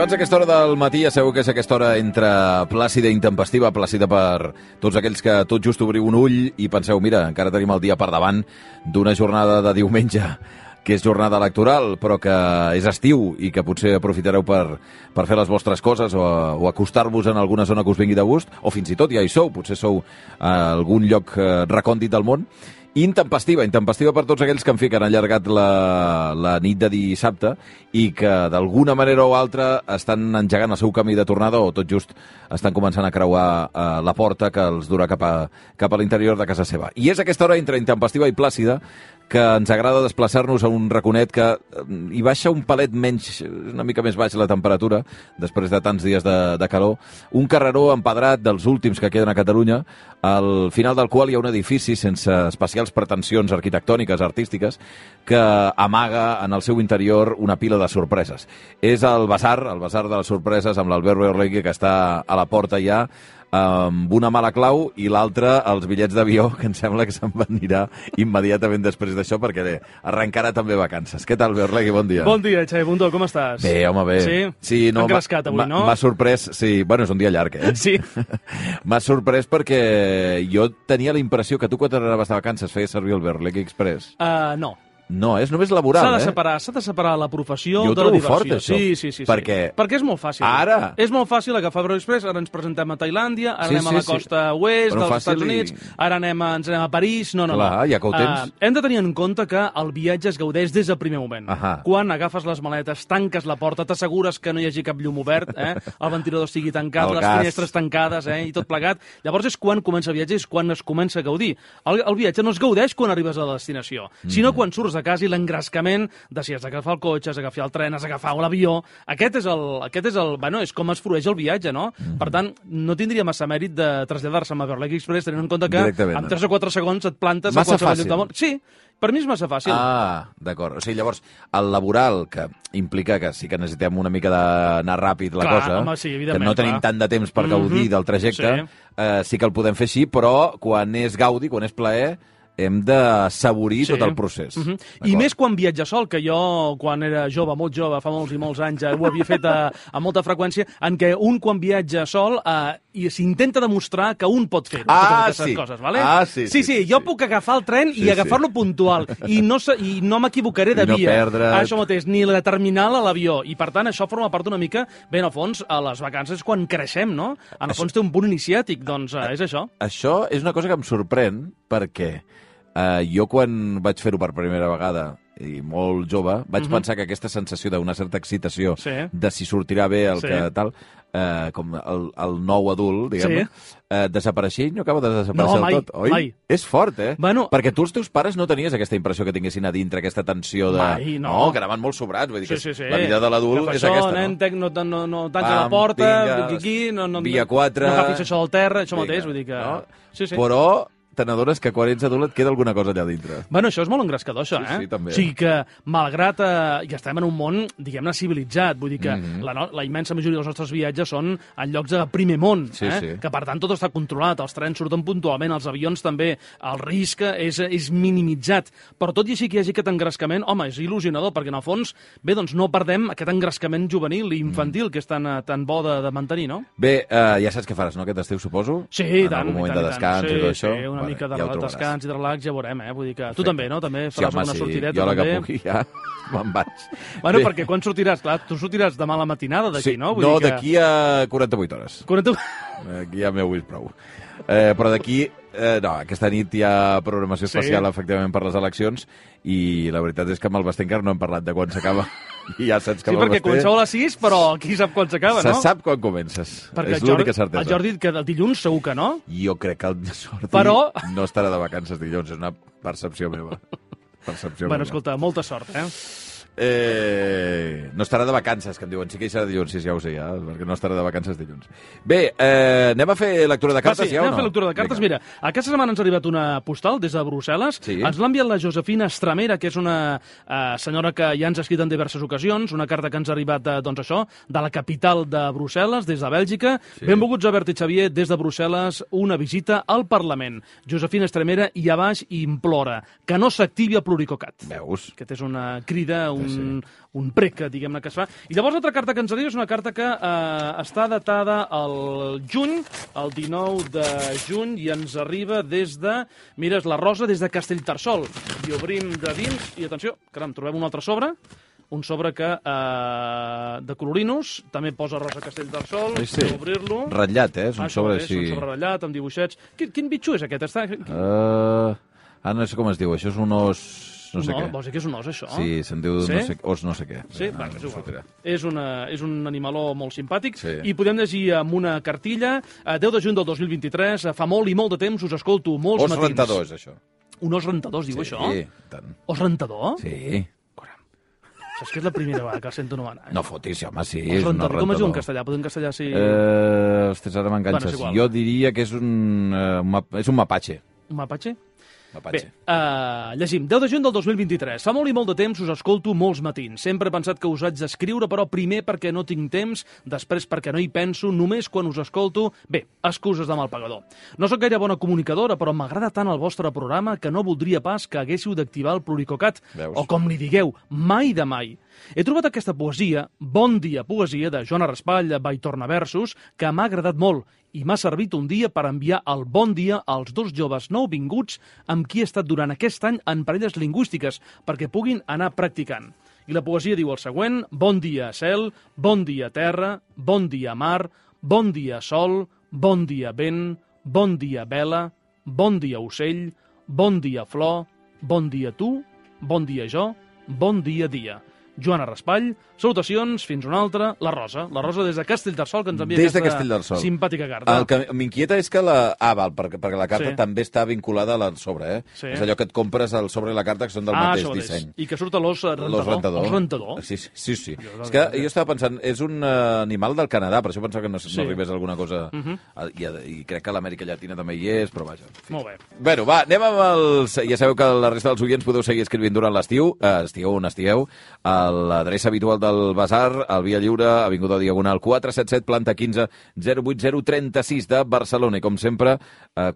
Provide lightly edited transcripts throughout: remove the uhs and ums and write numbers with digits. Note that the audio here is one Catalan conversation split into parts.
Arribats a aquesta hora del matí, ja sabeu que és aquesta hora entre plàcida i intempestiva, plàcida per tots aquells que tot just obriu un ull i penseu, mira, encara tenim el dia per davant d'una jornada de diumenge, que és jornada electoral, però que és estiu i que potser aprofitareu per fer les vostres coses o acostar-vos en alguna zona que us vingui de gust, o fins i tot ja hi sou, potser sou a algun lloc recòndit del món. Intempestiva per tots aquells que, en fi, que han allargat la nit de dissabte i que d'alguna manera o altra estan engegant el seu camí de tornada o tot just estan començant a creuar la porta que els durà cap a l'interior de casa seva. I és aquesta hora entre intempestiva i plàcida que ens agrada desplaçar-nos a un raconet que hi baixa un palet menys, una mica més baix la temperatura, després de tants dies de calor. Un carreró empedrat dels últims que queden a Catalunya, al final del qual hi ha un edifici sense especials pretensions arquitectòniques, artístiques, que amaga en el seu interior una pila de sorpreses. És el Basar de les sorpreses, amb l'Albert Berlegui, que està a la porta ja, amb una mala clau, i l'altra, els bitllets d'avió, que em sembla que se'n anirà immediatament després d'això, perquè arrencarà també vacances. Què tal, Berlegui? Bon dia. Bon dia, Xavi Bundó, com estàs? Bé, home, bé. Sí? No, engrescat avui, no? M'ha sorprès, sí. Bueno, és un dia llarg, Sí. M'ha sorprès perquè jo tenia la impressió que tu, quan anaves de vacances, feies servir el Berlegui Express. No. No, és només laboral, S'ha de separar la professió de la diversió. Fort, això. Sí. Per què? Perquè és molt fàcil. Ara? És molt fàcil agafar Berlegui Express, ara ens presentem a Tailàndia, ara anem a la costa oest dels Estats Units, ara ens anem a París... No. Clar, ja que ho tens. Hem de tenir en compte que el viatge es gaudeix des del primer moment. Quan agafes les maletes, tanques la porta, t'assegures que no hi hagi cap llum obert, el ventilador estigui tancat, les finestres tancades, i tot plegat. Llavors és quan comença el viatge, és quan es comença a gaudir. El viatge no es gaudeix quan arribes a la destinació, sinó quan surts de casa i l'engrescament de si has d'agafar el cotxe, has d'agafar el tren, has d'agafar l'avió. Aquest és com es frueix el viatge, no? Per tant, no tindria massa mèrit de traslladar-se amb Berlegui Express, tenint en compte que en 3 o 4 segons et plantes a qualsevol lloc del món. Sí, per mi és massa fàcil. D'acord. O sigui, llavors, el laboral, que implica que sí que necessitem una mica d'anar ràpid la cosa, home, sí, que no tenim tant de temps per gaudir del trajecte, sí que el podem fer així, però quan és gaudi, quan és plaer, hem de saborir tot el procés. I més quan viatja sol, que jo, quan era jove, molt jove, fa molts i molts anys, ho havia fet amb molta freqüència, en què un, quan viatja sol, s'intenta demostrar que un pot fer totes aquestes coses, vale? Sí, jo puc agafar el tren i agafar-lo puntual, i no m'equivocaré de via. Això mateix, ni la terminal a l'avió. I, per tant, això forma part una mica, bé, en el fons, a les vacances quan creixem, no? En el fons té un punt iniciàtic, doncs és això. Això és una cosa que em sorprèn, perquè jo, quan vaig fer-ho per primera vegada, i molt jove, vaig pensar que aquesta sensació d'una certa excitació de si sortirà bé el que tal, com el nou adult, diguem-ne, desapareixia i no acaba de desaparèixer del tot, oi? Mai. És fort, perquè tu, els teus pares, no tenies aquesta impressió que tinguessin a dintre, aquesta tensió de... Mai, no. Que anaven molt sobrats, vull dir que la vida de l'adult és aquesta, no? No tanca la porta, via 4... No agafis això del terra, això mateix, vull dir que... Però te n'adones que quan ets adult et queda alguna cosa allà dintre. Bueno, això és molt engrescador, això, Sí, també. O sigui que, malgrat que estem en un món, diguem-ne, civilitzat, vull dir que la immensa majoria dels nostres viatges són en llocs de primer món, que per tant tot està controlat, els trens surten puntualment, els avions també, el risc és minimitzat, però tot i així que hi hagi aquest engrescament, home, és il·lusionador, perquè en el fons, bé, doncs no perdem aquest engrescament juvenil i infantil que és tan bo de mantenir, no? Bé, ja saps què faràs, no, aquest estiu, suposo? Sí, i tant. En algun moment de descans i tot això? Una mica de descans i de relax ja veurem, vull dir que tu també, no? També faràs una sortideta, jo la que també. pugui ja me'n vaig. Bueno, perquè quan sortiràs? Clar, tu sortiràs demà a la matinada d'aquí, no? No, d'aquí a 48 hores. 48? Aquí ja m'heu vist prou. Però d'aquí... No, aquesta nit hi ha programació especial, efectivament, per les eleccions, i la veritat és que amb el Basté encara no hem parlat de quan s'acaba. I ja saps que sí, perquè comenceu a les 6, però qui sap quan s'acaba, no? Se sap quan comences. Perquè és l'única certesa. El Jordi, que el dilluns segur que no. Jo crec que el Jordi no estarà de vacances dilluns, és una percepció meva. Bueno, escolta, molta sort, No estarà de vacances, que em diuen. Sí que hi serà dilluns, sí, ja ho sé, perquè no estarà de vacances dilluns. Bé, anem a fer lectura de cartes, ja o no? Anem a fer lectura de cartes. Mira, aquesta setmana ens ha arribat una postal des de Brussel·les. Ens l'ha enviat la Josefina Estramera, que és una senyora que ja ens ha escrit en diverses ocasions, una carta que ens ha arribat, doncs això, de la capital de Brussel·les, des de Bèlgica. Benvolguts, Albert i Xavier, des de Brussel·les, una visita al Parlament. Josefina Estramera, i a baix implora que no s'activi el Pluricocat. Veus? Aquesta és una crida, un prec, diguem-ne, que es fa. I llavors l'altra carta que ens arriba és una carta que està datada al juny, el 19 de juny, i ens arriba des de... Mira, és la Rosa des de Castellterçol. I obrim de dins, i atenció, caram, trobem un altre sobre que de colorinos, també posa Rosa Castellterçol, obrir-lo... Ratllat, és un sobre així... És un sobre ratllat, amb dibuixets... Quin bitxo és aquest? No sé com es diu, això és un os... No sé què. Vols dir que és un os, això? Sí, se'n diu os no sé què. Sí? És igual. És un animaló molt simpàtic i podem llegir amb una cartilla 10 de juny del 2023, fa molt i molt de temps us escolto molts matins. Os rentador és això. Un os rentador, es diu això? Sí, tant. Os rentador? Sí. Saps que és la primera vegada que el sento anomenar? No fotis, home, sí. Os rentador. Com es diu en castellà? Podem en castellà, sí... Ostres, ara m'enganxes. Jo diria que és un mapatge. Un mapatge? Bé, llegim. 10 de juny del 2023. Fa molt i molt de temps us escolto molts matins. Sempre he pensat que us haig d'escriure, però primer perquè no tinc temps, després perquè no hi penso, només quan us escolto... Bé, excuses de mal pagador. No sóc gaire bona comunicadora, però m'agrada tant el vostre programa que no voldria pas que haguéssiu d'activar el pluricocat. O com li digueu, mai de mai. He trobat aquesta poesia, Bon dia, poesia, de Joana Raspall, Valltorna Versos, que m'ha agradat molt i m'ha servit un dia per enviar el bon dia als dos joves nouvinguts amb qui he estat durant aquest any en parelles lingüístiques perquè puguin anar practicant. I la poesia diu el següent: bon dia cel, bon dia terra, bon dia mar, bon dia sol, bon dia vent, bon dia vela, bon dia ocell, bon dia flor, bon dia tu, bon dia jo, bon dia dia. Joana Raspall, salutacions, fins una altra, la Rosa des de Castellterçol, que ens envia aquesta simpàtica carta. El que m'inquieta és que perquè la carta també està vinculada al sobre, És allò que et compres el sobre i la carta, que són del mateix disseny. I que surt l'os rentador. Sí. És que jo estava pensant, és un animal del Canadà, per això pensava que no arribés alguna cosa... I crec que a l'Amèrica Llatina també hi és, però vaja. Molt bé. Bueno, va, anem amb els... Ja sabeu que la resta dels oients podeu seguir escrivint durant l'estiu, on estieu, a l'adreça habitual del Basar, al Via Lliure, Avinguda Diagonal 477, planta 15, 08036 de Barcelona. I com sempre,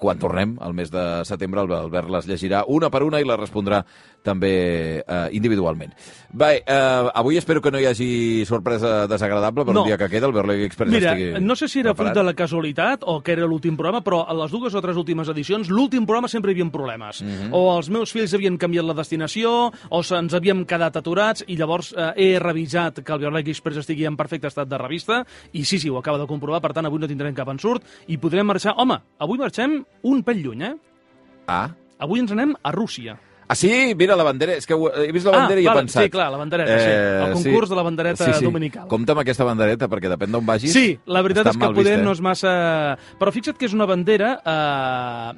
quan tornem, al mes de setembre, el Albert les llegirà una per una i les respondrà també individualment. Bé, avui espero que no hi hagi sorpresa desagradable per un dia que queda, el Berlei Express estigui no sé si era fruit de la casualitat o que era l'últim programa, però a les 2 o 3 últimes edicions, l'últim programa sempre hi havia problemes. O els meus fills havien canviat la destinació, o ens havíem quedat aturats, i llavors he revisat que el Berlei Express estigui en perfecte estat de revista, i sí, ho acaba de comprovar, per tant, avui no tindrem cap ensurt, i podrem marxar... Home, avui marxem un pèl lluny, Avui ens anem a Rússia. Ah, sí? Mira la bandera. És que he vist la bandera i he pensat... Sí, clar, la bandereta, el concurs de la bandereta dominical. Compte amb aquesta bandereta, perquè depèn d'on vagis... Sí, la veritat és que poder no és massa... Però fixa't que és una bandera...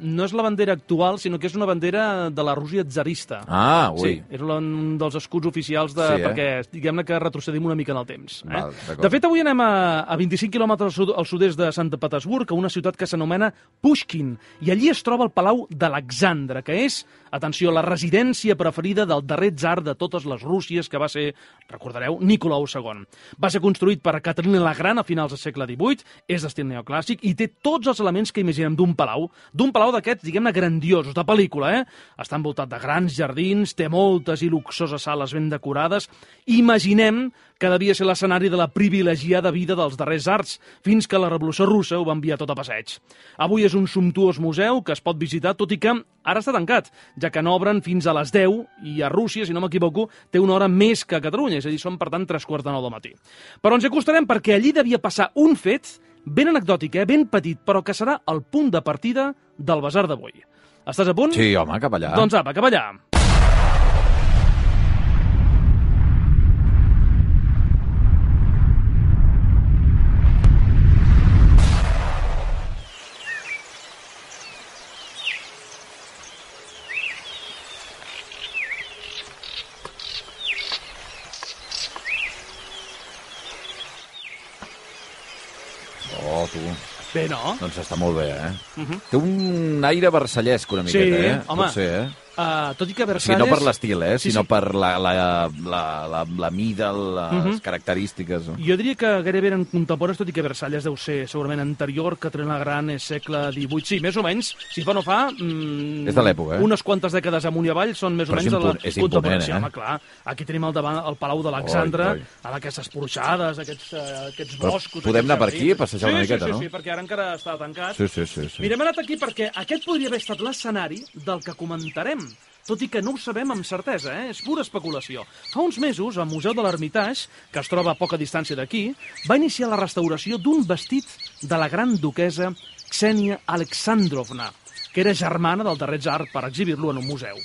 no és la bandera actual, sinó que és una bandera de la Rússia tsarista. Ah, ui. Sí, és un dels escuts oficials perquè, diguem-ne, que retrocedim una mica en el temps. De fet, avui anem a 25 quilòmetres al sud-est de Sant Petersburg, a una ciutat que s'anomena Pushkin, i allí es troba el Palau d'Alexandre, que és, atenció, la residència preferida del darrer tsar de totes les Rússies, que va ser, recordareu, Nicolau II. Va ser construït per Caterina la Gran a finals del segle XVIII, és d'estil neoclàssic i té tots els elements que imaginem d'un palau d'aquests, diguem-ne, grandiosos, de pel·lícula, Està envoltat de grans jardins, té moltes i luxoses sales ben decorades. Imaginem que devia ser l'escenari de la privilegiada vida dels darrers arts, fins que la Revolució Russa ho va enviar tot a passeig. Avui és un sumptuós museu que es pot visitar, tot i que ara està tancat, ja que no obren fins a les 10, i a Rússia, si no m'equivoco, té una hora més que a Catalunya, és a dir, són, per tant, 3:45 del matí. Però ens hi acostarem perquè allí devia passar un fet ben anecdòtic, ben petit, però que serà el punt de partida del Basar d'avui. Estàs a punt? Sí, home, cap allà. Doncs apa, cap allà. Oh, tu. Bé, no? Doncs està molt bé, Té un aire versallesc una miqueta, home. Potser, Tot i que Versalles... No per l'estil, sinó per la mida, les característiques. Jo diria que gairebé eren contemporanis, tot i que Versalles deu ser segurament anterior, Catherine la Gran és segle XVIII. Sí, més o menys, si fa no fa... És de l'època, unes quantes dècades amunt i avall són més o menys de la contemporània. Home, clar, aquí tenim al davant el Palau d'Alexandre, amb aquestes porxades, aquests boscos... Podem anar per aquí, passejar una miqueta, no? Sí, perquè ara encara està tancat. Sí. Mira, hem anat aquí perquè aquest podria haver estat l'escenari del que comentarem, tot i que no ho sabem amb certesa, és pura especulació. Fa uns mesos, al Museu de l'Hermitage, que es troba a poca distància d'aquí, va iniciar la restauració d'un vestit de la gran duquesa Xènia Alexandrovna, que era germana del darrer tsar per exhibir-lo en un museu.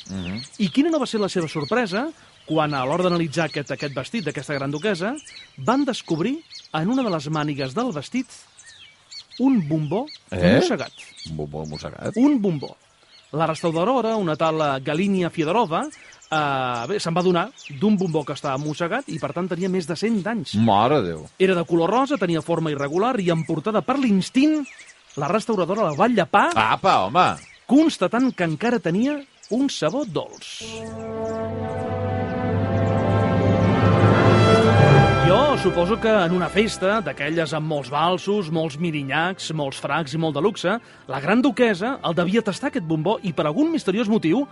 I quina no va ser la seva sorpresa quan, a l'hora d'analitzar aquest vestit d'aquesta gran duquesa, van descobrir en una de les mànigues del vestit un bombó mossegat. Un bombó mossegat? Un bombó. La restauradora, una tal Galinia Fiodorova, se'n va donar d'un bombó que estava mossegat i, per tant, tenia més de 100 anys. Mare de Déu! Era de color rosa, tenia forma irregular i, emportada per l'instint, la restauradora la va llapar... Apa, home! Constatant que encara tenia un sabor dolç. Jo suposo que en una festa, d'aquelles amb molts valsos, molts mirinyacs, molts fracs i molt de luxe, la gran duquesa el devia tastar aquest bombó i per algun misteriós motiu,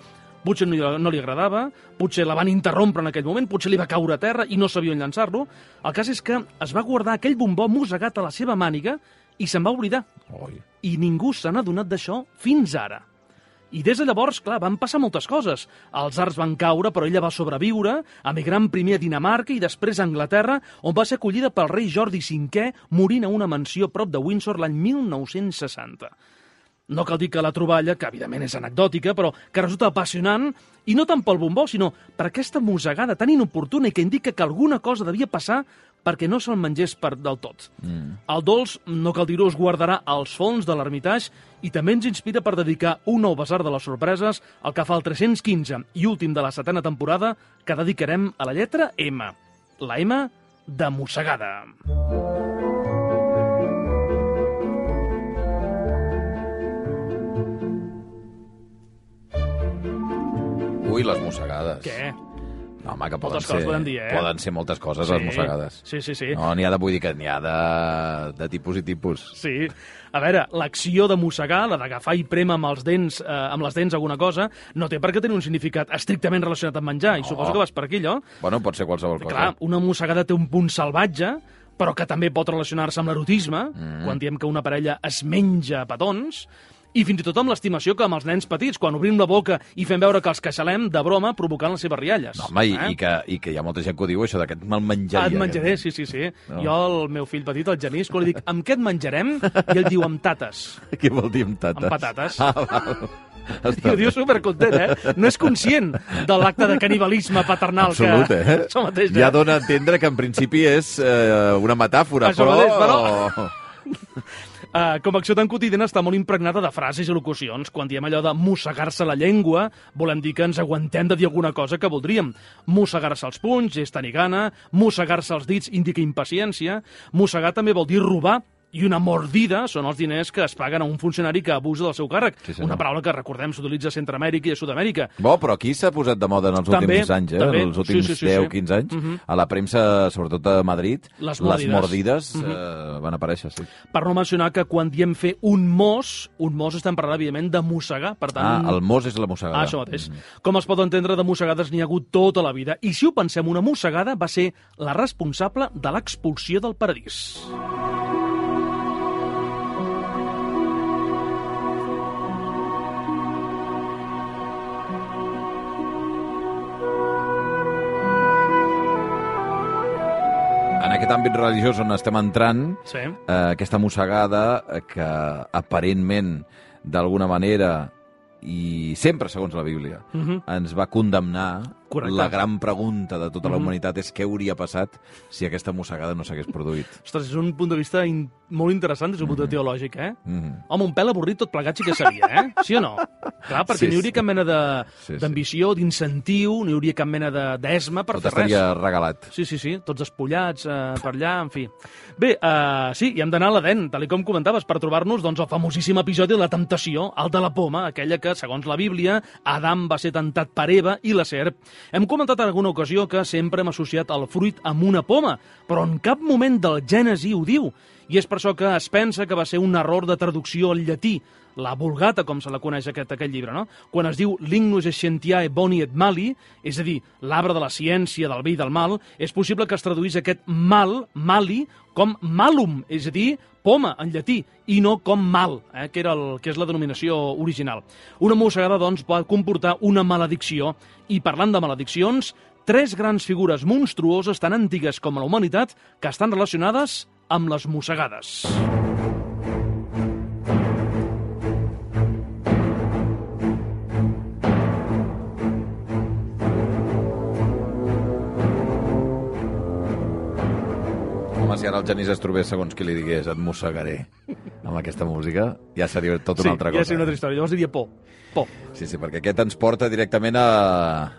potser no li agradava, potser la van interrompre en aquell moment, potser li va caure a terra i no sabia on llançar-lo. El cas és que es va guardar aquell bombó mossegat a la seva màniga i se'n va oblidar. I ningú se n'ha adonat d'això fins ara. I des de llavors, clar, van passar moltes coses. Els tsars van caure, però ella va sobreviure, emigrant primer a Dinamarca i després a Anglaterra, on va ser acollida pel rei Jordi V, morint a una mansió prop de Windsor l'any 1960. No cal dir que la troballa, que evidentment és anecdòtica, però que resulta apassionant, i no tant pel bombó, sinó per aquesta mossegada tan inoportuna i que indica que alguna cosa devia passar perquè no se'l mengés del tot. El dolç, no cal dir-ho, es guardarà als fons de l'Hermitage i també ens inspira per dedicar un nou basar de les sorpreses, el que fa el 315 i últim de la 7a temporada, que dedicarem a la lletra M. La M de mossegada. Ui, les mossegades. Què? No, home, que moltes coses poden dir, Poden ser moltes coses, les mossegades. Sí. No, vull dir que n'hi ha de tipus i tipus. Sí. A veure, l'acció de mossegar, la d'agafar i prémer amb les dents alguna cosa, no té per què tenir un significat estrictament relacionat amb menjar, i suposo que vas per aquí, allò. Bueno, pot ser qualsevol cosa. Clar, una mossegada té un punt salvatge, però que també pot relacionar-se amb l'erotisme, quan diem que una parella es menja petons, i fins i tot amb l'estimació que amb els nens petits, quan obrim la boca i fem veure que els queixalem de broma provocant les seves rialles. No, home, i que hi ha molta gent que ho diu, això d'aquest me'l menjaria. Et menjaré, sí. No. Jo, el meu fill petit, el Genís, quan li dic, amb què et menjarem? I ell diu, amb tates. Què vol dir amb tates? Amb patates. I ho diu supercontent, No és conscient de l'acte de canibalisme paternal. Absolut, Això mateix, Ja dona a entendre que en principi és una metàfora, això però... Com a acció tan quotidiana està molt impregnada de frases i locucions. Quan diem allò de mossegar-se la llengua, volem dir que ens aguantem de dir alguna cosa que voldríem. Mossegar-se els punys és tenir gana, mossegar-se els dits indica impaciència, mossegar també vol dir robar, i una mordida són els diners que es paguen a un funcionari que abusa del seu càrrec. Sí, una paraula que, recordem, s'utilitza a Centroamèrica i a Sud-amèrica. Però aquí s'ha posat de moda en els últims anys, els últims 10-15 anys. A la premsa, sobretot a Madrid, les mordides van aparèixer, sí. Per no mencionar que quan diem fer un mos estem parlant, evidentment, de mossegar. Per tant... el mos és la mossegada. Això mateix. Com es pot entendre, de mossegades n'hi ha hagut tota la vida. I si ho pensem, una mossegada va ser la responsable de l'expulsió del paradís. En aquest àmbit religiós on estem entrant, aquesta mossegada que aparentment, d'alguna manera, i sempre segons la Bíblia, ens va condemnar la gran pregunta de tota la humanitat és què hauria passat si aquesta mossegada no s'hagués produït. Ostres, és un punt de vista molt interessant des d'un punt teològic, eh? Home, un pèl avorrit tot plegat sí que seria, eh? Sí o no? Clar, perquè no hi hauria cap mena d'ambició, d'incentiu, no hi hauria cap mena d'esma per fer res. Tot estaria regalat. Sí, tots espollats per allà, en fi. Bé, sí, i hem d'anar a l'Edèn, tal com comentaves, per trobar-nos el famosíssim episodi de la temptació, el de la poma, aquella que, segons la Bíblia, Adam va ser tentat per Eva i la serp. Hem comentat en alguna ocasió que sempre hem associat el fruit amb una poma, però en cap moment del Gènesi ho diu, i és per això que es pensa que va ser un error de traducció al llatí, la Vulgata, com se la coneix aquest llibre, no? Quan es diu Lignus Scientiae Boni et Mali, és a dir, l'arbre de la ciència, del bé i del mal, és possible que es traduís aquest mal, mali, com malum, és a dir, poma, en llatí, i no com mal, que és la denominació original. Una mossegada, doncs, pot comportar una maledicció, i parlant de malediccions, 3 grans figures monstruoses tan antigues com la humanitat que estan relacionades amb les mossegades. Si ara el Genís es trobés, segons qui li digués, et mossegaré amb aquesta música, ja seria tot una altra cosa. Sí, ja seria una altra història. Llavors diria por. Sí, perquè aquest ens porta directament a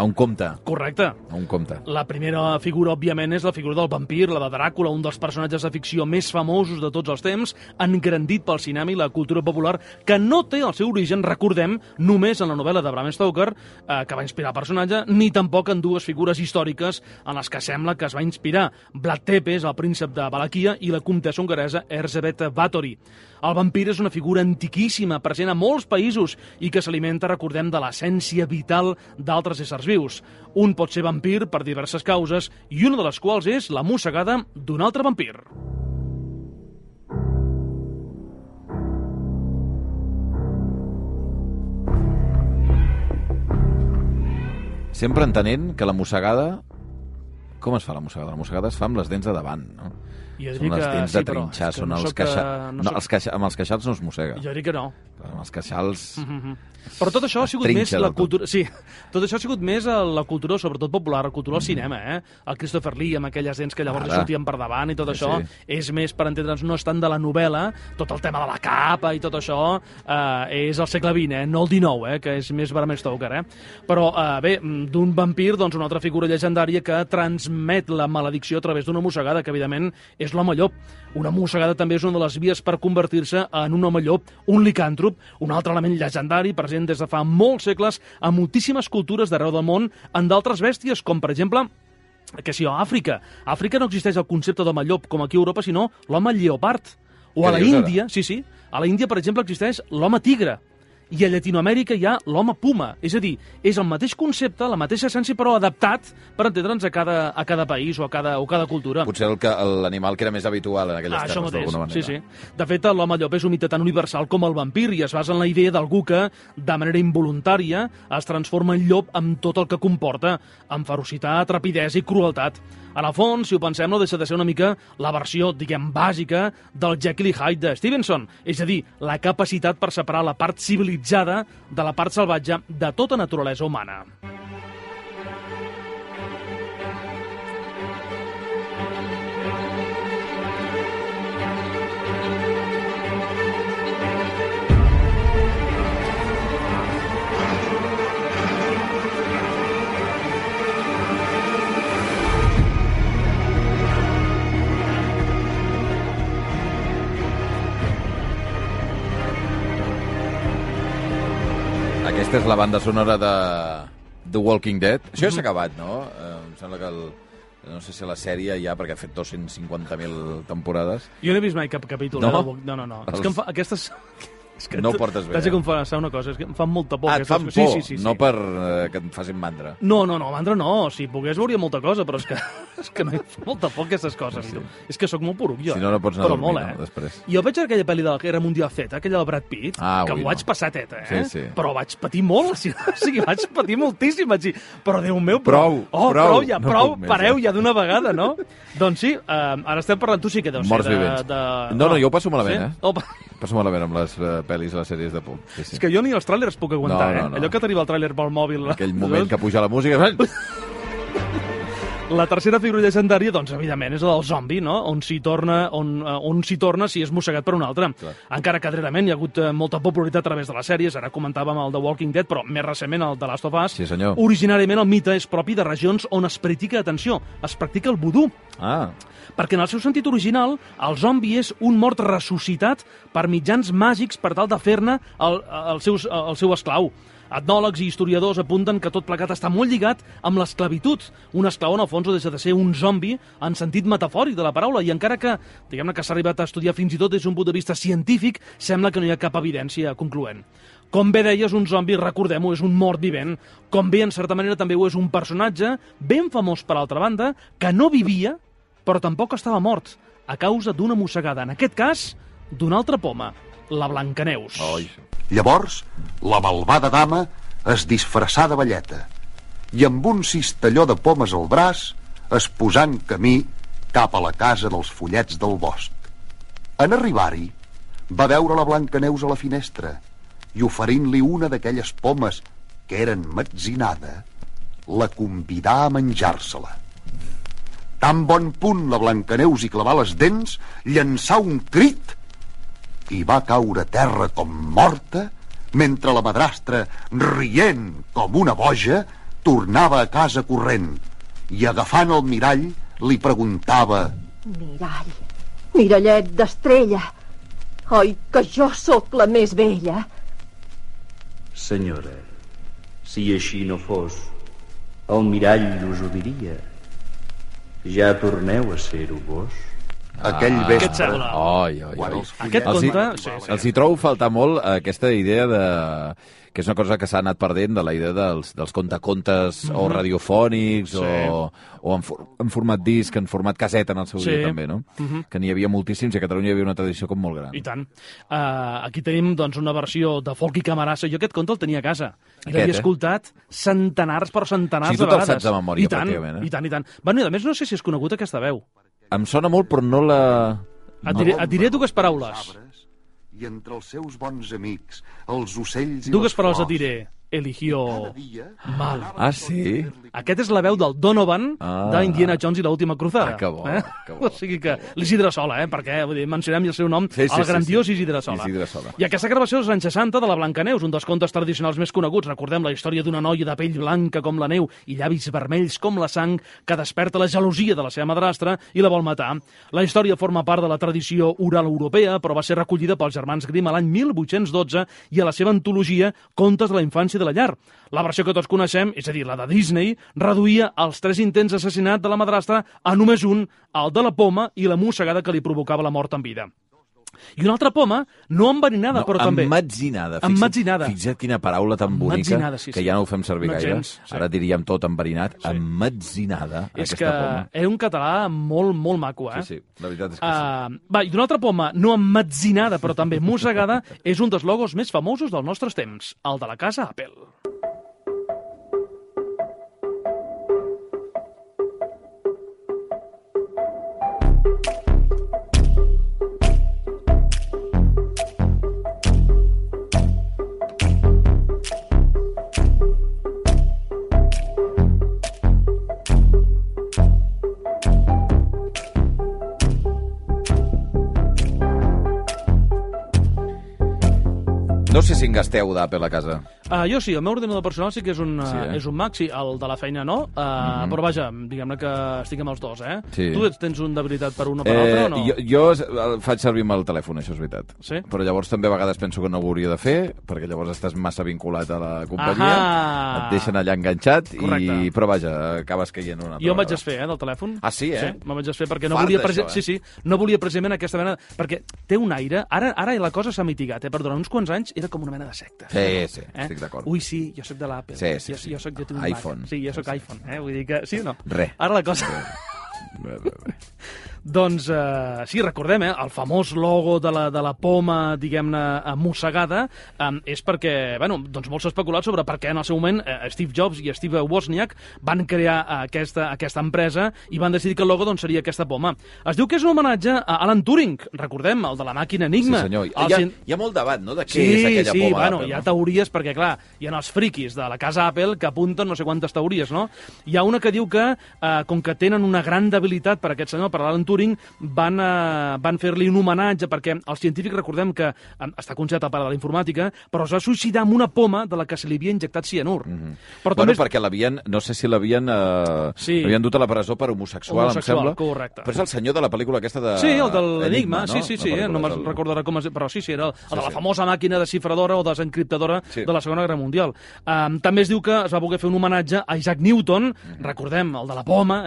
un conte. Correcte. A un conte. La primera figura, òbviament, és la figura del vampir, la de Dràcula, un dels personatges de ficció més famosos de tots els temps, engrandit pel cinema i la cultura popular, que no té el seu origen, recordem, només en la novel·la de Bram Stoker, que va inspirar el personatge, ni tampoc en 2 figures històriques en les que sembla que es va inspirar. Vlad Tepes, el príncep de Valaquia, i la comtessa hongaresa Erzsébet Báthory. El vampir és una figura antiquíssima, present a molts països i que s'alimenta, recordem, de l'essència vital d'altres éssers vius. Un pot ser vampir per diverses causes i una de les quals és la mossegada d'un altre vampir. Sempre entenent que la mossegada... Com es fa la mossegada? La mossegada es fa amb les dents de davant, no? Són les dents de trinxar, són els queixals. Amb els queixals no es mossega. Jo dic que no. Amb els queixals... Però tot això ha sigut més la cultura... Sí, tot això ha sigut més la cultura, sobretot popular, la cultura del cinema, El Christopher Lee, amb aquelles dents que llavors sortien per davant i tot això, és més, per entendre'ns, no és tant de la novel·la, tot el tema de la capa i tot això és al segle XX, no el XIX, que és més Bram Stoker, Però, bé, d'un vampir, doncs, una altra figura llegendària que transmet la maledicció a través d'una mossegada, que, evidentment, és l'home llop. Una mossegada també és una de les vies per convertir-se en un home llop, un licàntrop, un altre element llegendari present des de fa molts segles a moltíssimes cultures d'arreu del món en d'altres bèsties, com per exemple que si a Àfrica. A Àfrica no existeix el concepte d'home llop com aquí a Europa, sinó l'home lleopard. O a la Índia, a la Índia, per exemple, existeix l'home tigre. I a Llatinoamèrica hi ha l'home puma. És a dir, és el mateix concepte, la mateixa essència, però adaptat per entendre'ns a cada país o a cada cultura. Potser l'animal que era més habitual en aquelles terres, d'alguna manera. Sí. De fet, l'home llop és un mite tan universal com el vampir i es basa en la idea d'algú que, de manera involuntària, es transforma en llop amb tot el que comporta, amb ferocitat, rapidesa i crueltat. A la fons, si ho pensem, no deixa de ser una mica la versió, diguem, bàsica del Jekyll i Hyde de Stevenson, és a dir, la capacitat per separar la part civilitzada de la part salvatge de tota naturalesa humana. Aquesta és la banda sonora de The Walking Dead. Això ja s'ha acabat, no? Em sembla que no sé si la sèrie ja, perquè ha fet 250.000 temporades. Jo no he vist mai cap capítol. No? No. És que aquestes... És que no ho portes bé. T'haig de confessar una cosa, és que em fan molta por. Et fan por, sí. No per que et facin mandra. No, mandra no. Si pogués veuria molta cosa, però és que no em fa molta por aquestes coses. Sí. És que sóc molt poruc, jo. Si no pots anar a dormir, no, després. Jo vaig a aquella pel·li de la Guerra Mundial Z, aquella del Brad Pitt, que ho vaig passar teta, Sí. Però vaig patir molt, o sigui, vaig patir moltíssim. Vaig dir, però Déu meu, prou, pareu ja d'una vegada, no? Doncs sí, ara estem parlant, tu sí que deus ser de... No, jo ho passo malament, Passo malament amb les pel·lis, les sèries de por. Sí, sí. És que jo ni els tràilers puc aguantar, no. Allò que t'arriba el tràiler pel mòbil... Aquell moment que puja la música... La tercera figura llegendària, doncs, evidentment, és la del zombi, no? On s'hi torna si és mossegat per un altre. Clar. Encara que darrerament hi ha hagut molta popularitat a través de les sèries, ara comentàvem el The Walking Dead, però més recentment el The Last of Us. Sí, senyor. Originàriament el mite és propi de regions on es practica, atenció, es practica el vudú. Ah. Perquè en el seu sentit original, el zombi és un mort ressuscitat per mitjans màgics per tal de fer-ne el seu esclau. Etnòlegs i historiadors apunten que tot plegat està molt lligat amb l'esclavitud. Un esclau, en el fons, deixa de ser un zombi en sentit metafòric de la paraula, i encara que, diguem-ne, que s'ha arribat a estudiar fins i tot des d'un punt de vista científic, sembla que no hi ha cap evidència concloent. Com bé deies, un zombi, recordem-ho, és un mort vivent. Com bé, en certa manera, també ho és un personatge ben famós, per altra banda, que no vivia, però tampoc estava mort, a causa d'una mossegada. En aquest cas, d'una altra poma, la Blancaneus. Oi. Llavors, la malvada dama es disfressà de velleta i amb un cistelló de pomes al braç es posà en camí cap a la casa dels follets del bosc. En arribar-hi, va veure la Blancaneus a la finestra i, oferint-li una d'aquelles pomes que eren metzinada, la convidà a menjar-se-la. Tan bon punt la Blancaneus hi clavà les dents, llançà un crit i va caure a terra com morta, mentre la madrastra, rient com una boja, tornava a casa corrent i, agafant el mirall, li preguntava: Mirall, mirallet d'estrella, oi que jo sóc la més vella? Senyora, si així no fos, el mirall us ho diria. Ja torneu a ser-ho vos? Aquell Què et vespre... sembla? Aquest conte... Sí. Els hi trobo faltar molt aquesta idea de... que és una cosa que s'ha anat perdent, de la idea dels contacontes o radiofònics o en format disc, en format caseta en el seu dia també, no? Que n'hi havia moltíssims i a Catalunya hi havia una tradició com molt gran. I tant. Aquí tenim doncs, una versió de folk i camarassa. Jo aquest conte el tenia a casa. I l'havia escoltat centenars per centenars de vegades. Sí, tu te'l saps de memòria, pràcticament. I tant. Bueno, i a més no sé si és conegut aquesta veu. Em sona molt, però no la... Et diré dues paraules. I entre els seus bons amics, els ocells i dues les paraules flors, et diré. Eligió mal. Ah, sí? Aquest és la veu del Donovan d'Indiana Jones i l'última cruzada. Que bo, que bo. O sigui que l'Isidre Sola, perquè vull dir, mencionem el seu nom, el grandiós Isidre Sola. I aquesta gravació és l'any 60 de la Blancaneus, un dels contes tradicionals més coneguts. Recordem la història d'una noia de pell blanca com la neu i llavis vermells com la sang que desperta la gelosia de la seva madrastra i la vol matar. La història forma part de la tradició oral europea, però va ser recollida pels germans Grimm l'any 1812 i a la seva antologia Contes de la infància de la llar. La versió que tots coneixem, és a dir, la de Disney, reduïa els 3 intents d'assassinat de la madrastra a només un, el de la poma i la mossegada que li provocava la mort en vida. I una altra poma, no enverinada, però també... Emmetzinada. Fixa't quina paraula tan bonica, que ja no ho fem servir gaire. Ara diríem tot enverinat. Emmetzinada, aquesta poma. És un català molt, molt maco, Sí, la veritat és que sí. I una altra poma, no emmetzinada, però també mossegada, és un dels logos més famosos dels nostres temps, el de la casa Apple. No sé si en gasteu d'Apple a casa. Jo sí, el meu ordenador personal sí que és un Mac, sí, el de la feina no, però vaja, diguem-ne que estic amb els dos, Sí. Tu tens un debilitat per un o per l'altre o no? Jo el faig servir amb el telèfon, això és veritat. Sí? Però llavors també a vegades penso que no ho hauria de fer, perquè llavors estàs massa vinculat a la companyia, et deixen allà enganxat, però vaja, acabes caient una altra Jo em vaig desfer, del telèfon. Ah, sí, Sí, me'n vaig desfer perquè no volia... no volia precisament aquesta mena... Perquè té un aire... Ara la cosa s'ha mitigat, però durant uns quants anys era com una mena de secta. Sí, estic d'acord. Ui, sí, jo soc de l'Apple. Sí. Jo soc de iPhone. Sí, jo soc iPhone. Vull dir que... Sí o no? Res. Ara la cosa... Bé. Doncs sí, recordem, el famós logo de la poma, diguem-ne, mossegada, és perquè, bueno, doncs molt s'ha especulat sobre per què en el seu moment Steve Jobs i Steve Wozniak van crear aquesta empresa i van decidir que el logo doncs, seria aquesta poma. Es diu que és un homenatge a Alan Turing, recordem, el de la màquina Enigma. Sí, senyor. Hi ha molt debat, no?, de què és aquella poma bueno, d'Apple. Hi ha teories, perquè, clar, hi ha els friquis de la casa Apple que apunten no sé quantes teories, no? Hi ha una que diu que, com que tenen una gran debilitat per aquest senyor, per l'Alan Turing, van fer-li un homenatge, perquè el científic, recordem que està considerat el pare de la informàtica, però es va suïcidar amb una poma de la que se li havia injectat cianur. Però bueno, perquè l'havien, no sé si l'havien dut a la presó per homosexual, em sembla. Correcte. Però és el senyor de la pel·lícula aquesta de... Sí, el de l'Enigma, no? sí, no me'n recordarà com es... Però sí, era el de la famosa màquina desxifradora o desencriptadora de la Segona Guerra Mundial. També es diu que es va voler fer un homenatge a Isaac Newton, recordem, el de la poma,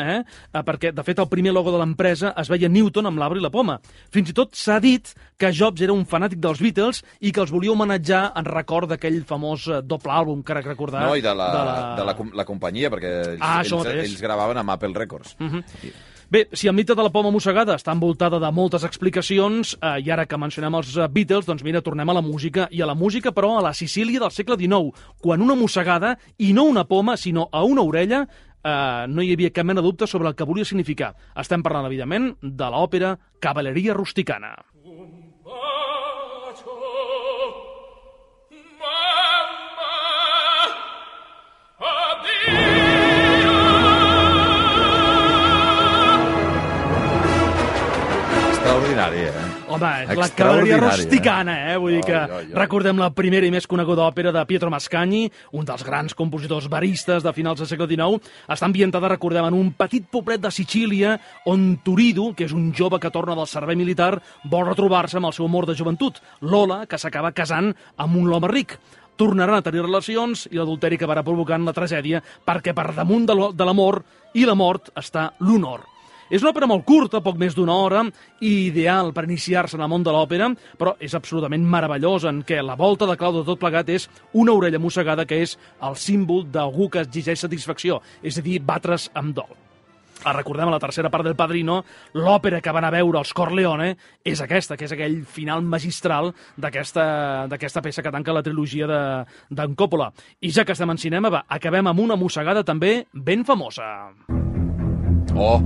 perquè, de fet, el primer logo de l'empresa es veia Newton amb l'arbre i la poma. Fins i tot s'ha dit que Jobs era un fanàtic dels Beatles i que els volia homenatjar en record d'aquell famós doble àlbum, que ara recordar... No, i de la companyia, perquè ells gravaven amb Apple Records. Bé, si el mite de la poma mossegada està envoltada de moltes explicacions, i ara que mencionem els Beatles, doncs mira, tornem a la música, i a la música, però, a la Sicília del segle XIX, quan una mossegada, i no una poma, sinó a una orella, no hi havia cap mena de dubte sobre el que volia significar. Estem parlant, evidentment, de l'òpera Cavalleria Rusticana. Extraordinari, Home, la Cavalleria Rusticana, vull dir que recordem la primera i més coneguda òpera de Pietro Mascagni, un dels grans compositors baristes de finals del segle XIX. Està ambientada, recordem, en un petit poblet de Sicília on Turidu, que és un jove que torna del servei militar, vol retrobar-se amb el seu amor de joventut, Lola, que s'acaba casant amb un home ric. Tornaran a tenir relacions i l'adulteri acabarà provocant la tragèdia, perquè per damunt de l'amor i la mort està l'honor. És una òpera molt curta, poc més d'una hora, i ideal per iniciar-se en el món de l'òpera, però és absolutament meravellosa, en què la volta de clau de tot plegat és una orella mossegada, que és el símbol d'algú que exigeix satisfacció, és a dir, batre's amb dol. Recordem a la tercera part del Padrino, l'òpera que van a veure els Corleone és aquesta, que és aquell final magistral d'aquesta peça que tanca la trilogia d'en Coppola. I ja que estem en cinema, acabem amb una mossegada també ben famosa. Oh!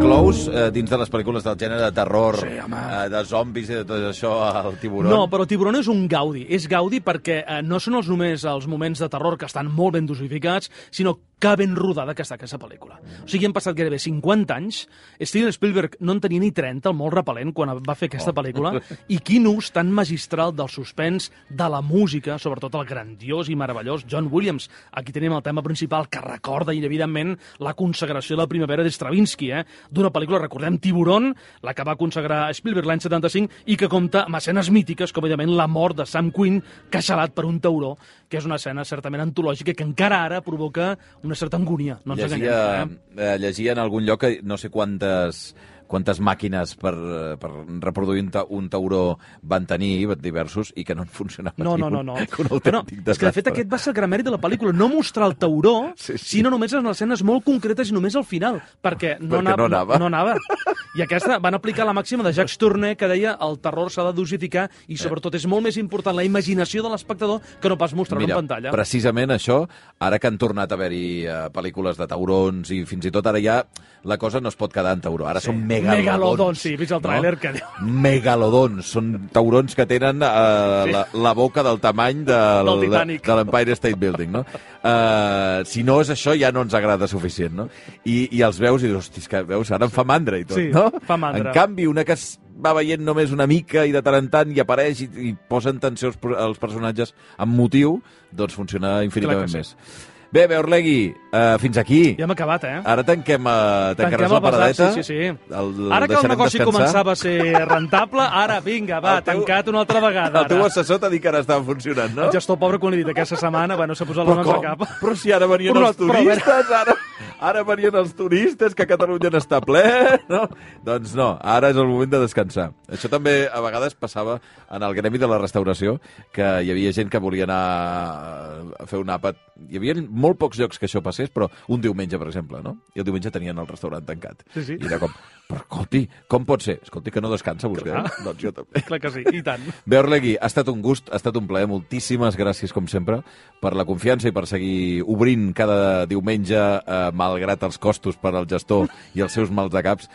Inclous dins de les pel·lícules del gènere de terror, de zombis i de tot això, el Tiburón? No, però Tiburón és un gaudi. És gaudi perquè no són només els moments de terror que estan molt ben dosificats, sinó que ben rodada que està aquesta pel·lícula. O sigui, han passat gairebé 50 anys, Steven Spielberg no en tenia ni 30, el molt repel·lent, quan va fer aquesta pel·lícula, i quin ús tan magistral del suspens, de la música, sobretot el grandiós i meravellós John Williams. Aquí tenim el tema principal que recorda, evidentment, la consagració de la primavera d'Stravinsky, d'una pel·lícula, recordem, Tiburón, la que va consagrar Spielberg l'any 75, i que compta amb escenes mítiques, com, evidentment, la mort de Sam Quinn, queixalat per un tauró, que és una escena certament antològica que encara ara provoca una certa angúnia. No ens enganyem. Llegia en algun lloc que no sé quantes màquines per reproduir un tauró van tenir, diversos, i que no en funcionava no. Un autèntic desastre. És que, de fet, aquest va ser el gran mèrit de la pel·lícula, no mostrar el tauró, sinó només en escenes molt concretes i només al final, perquè no anava. I aquesta van aplicar la màxima de Jacques Tourneur, que deia el terror s'ha de dosificar i, sobretot, és molt més important la imaginació de l'espectador que no pas mostrar-ho en pantalla. Precisament això, ara que han tornat a haver-hi pel·lícules de taurons i fins i tot ara ja la cosa no es pot quedar en tauró. Ara són megalodons. Sí, vist el tràiler que diu. Megalodons. Són taurons que tenen la boca del tamany de l'Empire State Building, no? Si no és això, ja no ens agrada suficient, no? I els veus i dius, hosti, que veus, ara em fa mandra i tot, no? Fa mandra. En canvi, una que va veient només una mica i de tant en tant i apareix i posa en tensió els personatges amb motiu, doncs funciona infinitament més. Bé, Orlegui, fins aquí. Ja hem acabat, Ara tancaràs la paradeta? Sí. Ara que el negoci començava a ser rentable, ara, vinga, tancat una altra vegada. El teu assessor t'ha dit que ara estava funcionant, no? El gestor pobre, quan li he dit aquesta setmana, s'ha posat les mans al cap. Però si ara venien els turistes, Ara venien els turistes, que a Catalunya n'està ple, no? Doncs no, ara és el moment de descansar. Això també a vegades passava en el gremi de la restauració, que hi havia gent que volia anar a fer un àpat. Hi havia molt pocs llocs que això passés, però un diumenge, per exemple, no? I el diumenge tenien el restaurant tancat. Sí. I era com, però escolti, com pot ser? Escolti, que no descansa vostè? Doncs jo també. Clar que sí, i tant. Bé, Orlegui, ha estat un gust, ha estat un plaer. Moltíssimes gràcies, com sempre, per la confiança i per seguir obrint cada diumenge, malgrat els costos per al gestor i els seus mals de caps,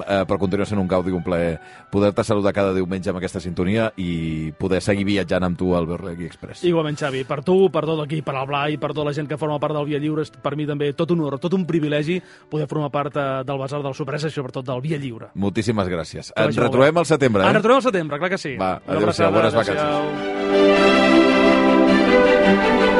per continuar sent un gaudi, un plaer poder-te saludar cada diumenge amb aquesta sintonia i poder seguir viatjant amb tu al Orlegui Express. Igualment, Xavi, per tu, per tot aquí, per al Blai, per tota la gent que forma part del Via Lliure, és per mi també tot un honor, tot un privilegi poder formar part del Basar del Sorpresa i sobretot del Via Lliure. Moltíssimes gràcies. Ens retrobem al setembre, Ens retrobem al setembre, clar que sí. Va, adéu-siau, bones vacances. Adéu.